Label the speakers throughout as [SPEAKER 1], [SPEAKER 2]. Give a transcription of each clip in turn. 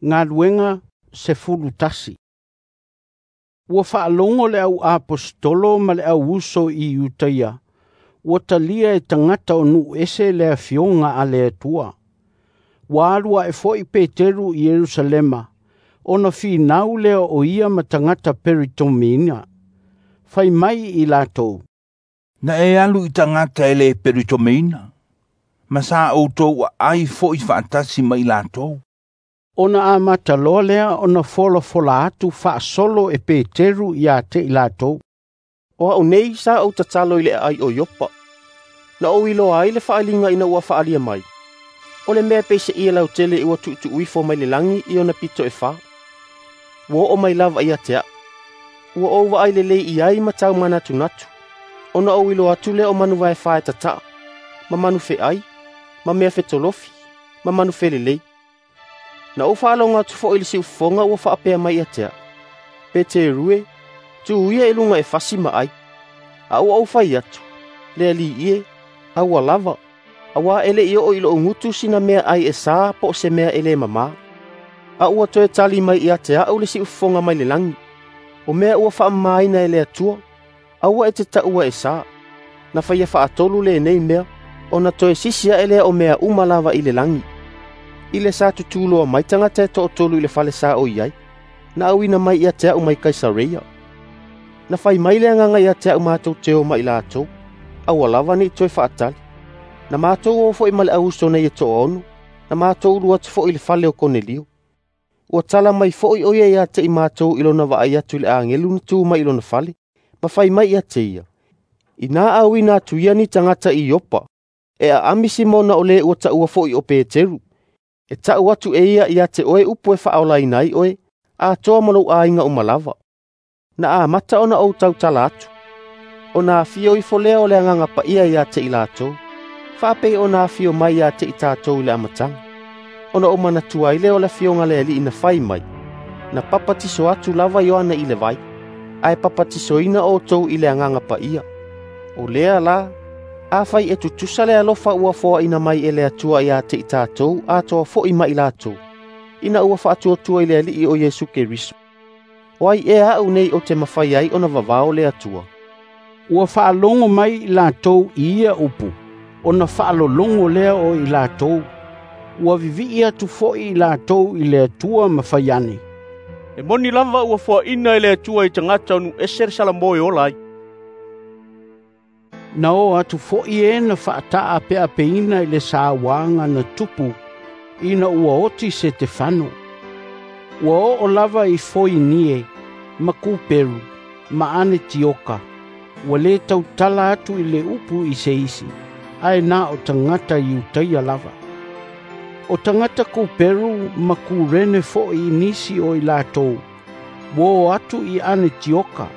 [SPEAKER 1] Galuega 11. Ua faalogo le au aposetolo ma le au uso i Iutaia, ua talia e tagata o nuu ese le Afioga a le Atua. Ua alu ae foi Peteru i Ierusalema, ona finau lea o ia ma tagata Peritomiina. Fai mai i latou,
[SPEAKER 2] "Na e alu i tagata e le Peritomiina, ma sa outou aai foi faatasi ma i latou."
[SPEAKER 1] Ona amata loa lea ona folafola atu faasolo e Peteru ia te i latou.
[SPEAKER 3] "O a'u nei sa ou tatalo i le aai o Iopa, na ou iloa ai le faaaliga ina ua faaalia mai, o le mea e pei se ie lautele ua tuutuu ifo mai le lagi i ona pito e fa, ua oo mai lava ia te a'u. Ua ou vaai lelei i ai ma tau manatunatu, ona ou iloa atu lea o manu vae fa e tataa, ma manu feai, ma mea fetolofi, ma manu felelei. Na ou faalogo atu foi i le siufofoga ua faapea mai ia te a'u, ‘Peteru e, tu ia i luga e fasi ma ai.’ A ua ou fai atu, ‘Le Alii e, aua lava, auā e le i oo i lo'u gutu sina mea ai e sā po o se mea e le mamā.’ A ua toe tali mai ia te a'u le siufofoga mai le lagi, ‘O mea ua faamamaina e le Atua, aua e te taua e sā.’ Na faia faatolu lenei mea, ona toe sisi ae lea o mea uma lava i le lagi. I le sa tutū loa mai tagata e toatolu i le fale sa ou i ai, na auina mai ia te a'u mai Kaisareia. Na fai mai le Agaga ia te a'u matou te o ma i latou, aua lava ne i toe faatali. Na matou o foi ma le au uso nei e toaono, na matou ulu atu foi i le fale o Konelio. Ua tala mai foi o ia ia te i matou i lona vaai atu i le agelu na tu mai i lona fale, ma fai mai ia te ia, ‘Inā auina atu ia ni tagata i Iopa, e aami Simona o le ua taua foi o Peteru, e ta'u atu e ia ia te oe upu e faaolaina ai oe, atoa ma lou aiga uma lava.’ Na amata ona ou tautala atu, ona afio ifo lea o le Agaga Paia ia te i latou, faapei ona afio mai ia te i tatou i le amataga. Ona ou manatua ai lea o le afioga a le Alii na fai mai, ‘Na papatiso atu lava Ioane i le vai, ae papatisoina outou i le Agaga Paia.’ O lea la, afai e tutusa le alofa ua foaina mai e le Atua ia te i tatou atoa foi ma i latou, ina ua faatuatua i le Alii o Iesu Keriso, o ai ea a'u nei ou te mafai ai ona vavao le Atua?"
[SPEAKER 1] Ua faalogo mai i latou i ia upu, ona faalologo lea o i latou. Ua vivii atu foi i latou i le Atua ma fai ane,
[SPEAKER 3] "E moni lava ua foaina e le Atua i tagata o nuu ese le salamo e ola ai."
[SPEAKER 1] Na o atu foi e na faataapeapeina i le sauaga na tupu ina ua oti Setefano. Ua oo lava i Foinie ma Kuperu ma Anetioka, ua lē tautala atu i le upu i se isi, ae na o tagata Iutaia lava. O tagata Kuperu ma Kurene foi i nisi o i latou, ua o atu i Anetioka,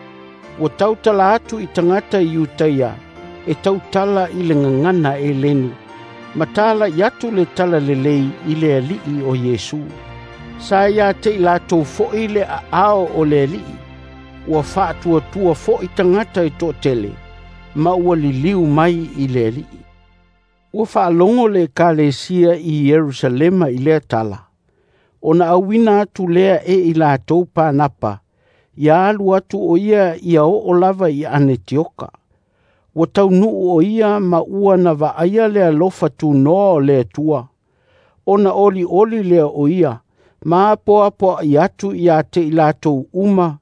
[SPEAKER 1] ua tautala atu i tagata Iutaia, e tautala i le gagana Eleni, ma talai atu le talalelei i le Alii o Iesu. Sa ia te i latou foi le aao o le Alii, ua faatuatua foi tagata e toatele, ma ua liliu mai i le Alii. Ua faalogo le Ekalesia i Ierusalema i lea tala, ona auina atu lea e i latou Panapa, ia alu atu o ia ia oo lava i Anetioka. Ua taunuu o ia ma ua na vaaia le alofa tunoa o le Atua, ona olioli lea o ia, ma apoapoai atu ia te i latou uma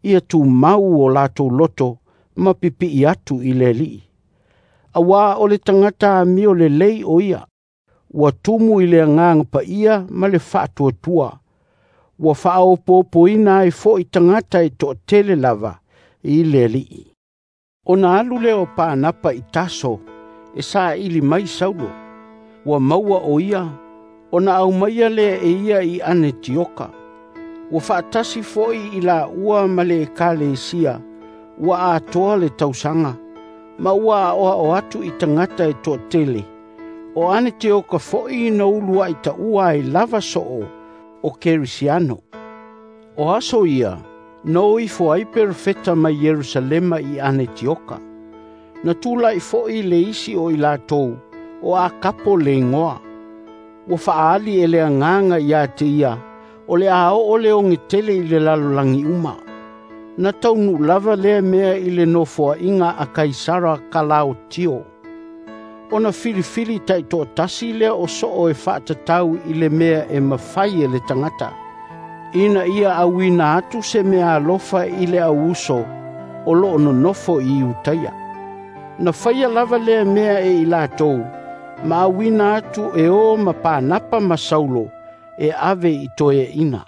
[SPEAKER 1] ia tumau o latou loto ma pipii atu i le Alii. Auā o le tagata amio lelei o ia, ua tumu i le Agaga Paia ma le faatuatua. Ua faaopoopoina ai foi tagata e toatele lava i le Alii. Ona alu lea o Panapa i Taso e saili mai Saulo. Ua maua o ia, ona aumaia lea e ia i Anetioka. Ua faatasi foi i laua ma le Ekalesia, ua atoa le tausaga, ma ua aoao atu i tagata e toatele. O Anetioka foi na uluai taua ai lava soo o Kerisiano. O aso ia, na o ifo ai perofeta mai Ierusalema i Anetioka. Na tulai foi le isi o i latou, o Akapo le igoa. Ua faaali e le Agaga ia te ia, O le a oo le oge tele i le lalolagi uma. Na taunuu lava lea mea i le nofoaiga a Kaisara Kalaotio. Ona filifili taitoatasi lea o soo e faatatau i le mea e mafai e le tagata, ina ia auina atu se meaalofa i le au uso o lo o nonofo i Iutaia. Na faia lava lea mea e i latou, ma auina atu e o ma Panapa ma Saulo e ave i toeaiina.